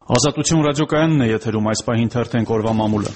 Ազատություն ռադիոկայանն է եթերում, այս պահին թերթենք օրվա մամուլը։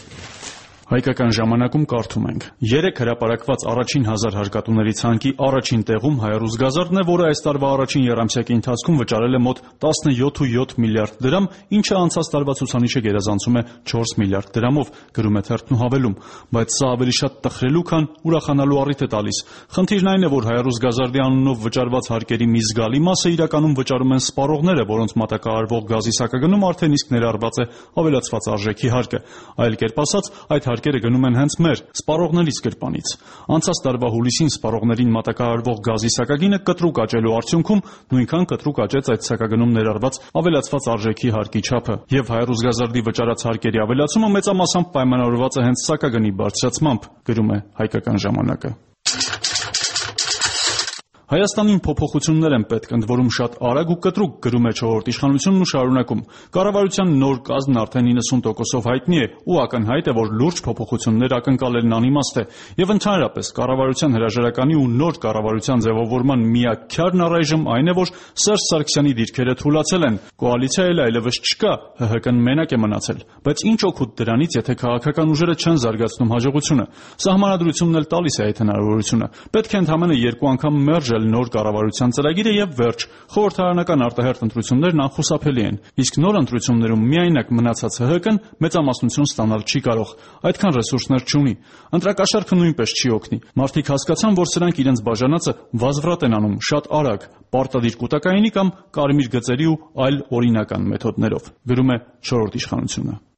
Հայկական ժամանակում կարդում ենք. 3 հրապարակված առաջին 1000 հարկատուների ցանկի առաջին տեղում Հայառուս Գազարդն է, որը այս տարվա առաջին եռամսյակի ընթացքում վճարել է մոտ 17.7 միլիարդ դրամ, ինչը անցած տարվա ցուցանիշը գերազանցում է 4 միլիարդ դրամով, գրում է թերթն ու հավելում, բայց սա ավելի շատ տխրելու, քան ուրախանալու առիթ է տալիս։ Խնդիրն այն է, որ Հայառուս Գազարդի անունով վճարված հարկերի մի զգալի մասը իրականում վճարում են սպառողները, որոնց մատակարարվող գազի սակագնում արդեն իսկ ներառված է ավելացված արժեքի հարկը։ Այլ կերպ ասած, այդ հարկերը գնում են հենց մեր սպառողներից գրպանից։ Անցած տարվա հուլիսին սպառողներին մատակարարվող գազի սակագինը կտրուկ աճելու արդյունքում նույնքան կտրուկ աճեց այդ սակագնում ներառված ավելացված արժեքի հարկի չափը։ Եվ Հայառուս Գազարդի վճարած հարկերի ավելացումը մեծամասամբ պայմանավորված է հենց սակագնի բարձրացմամբ, գրում է Հայկական ժամանակը։ Հայաստանին փոփոխություններ են պետք, ընդ որում շատ արագ ու կտրուկ, գրում է Չորրորդ իշխանությունն ու շարունակում։ Կառավարության նոր կազմն արդեն 90%-ով հայտնի է ու ակնհայտ է, որ լուրջ փոփոխություններ ակնկալելն անիմաստ է։ Եւ ընդհանրապես կառավարության հրաժարականի ու նոր կառավարության ձևավորման միակ քյարն առայժմ այն է, որ Սերժ Սարգսյանի դիրքերը թուլացել են, կոալիցիա էլ այլևս չկա, ՀՀԿ-ն մենակ է մնացել։ Բայց ինչ օգուտ դրանից, եթե քաղաքական ուժերը չեն զարգացնում հաջողությունը։ Սահմանադրությունն էլ տալիս է այդ հնարավորությունը։ Պետք է ընդամենը 2 անգամ մերժել նոր կառավարության ծրագիրը եւ վերջ։ Խորհրդարանական արտահերթ ընտրություններն անխուսափելի են, իսկ նոր ընտրություններում միայնակ մնացած ՀՀԿ-ն մեծամասնություն ստանալ չի կարող, այդքան ռեսուրսներ չունի։ Ընտրակաշառքը նույնպես չի օգնի։ Մարդիկ հասկացան, որ սրանք իրենց բաժանածը վազվռատ են անում շատ արագ, պարտադիր կուտակայինի կամ կարմիր գծերի ու այլ օրինական մեթոդներով, գրում է Չորրորդ իշխանությունը։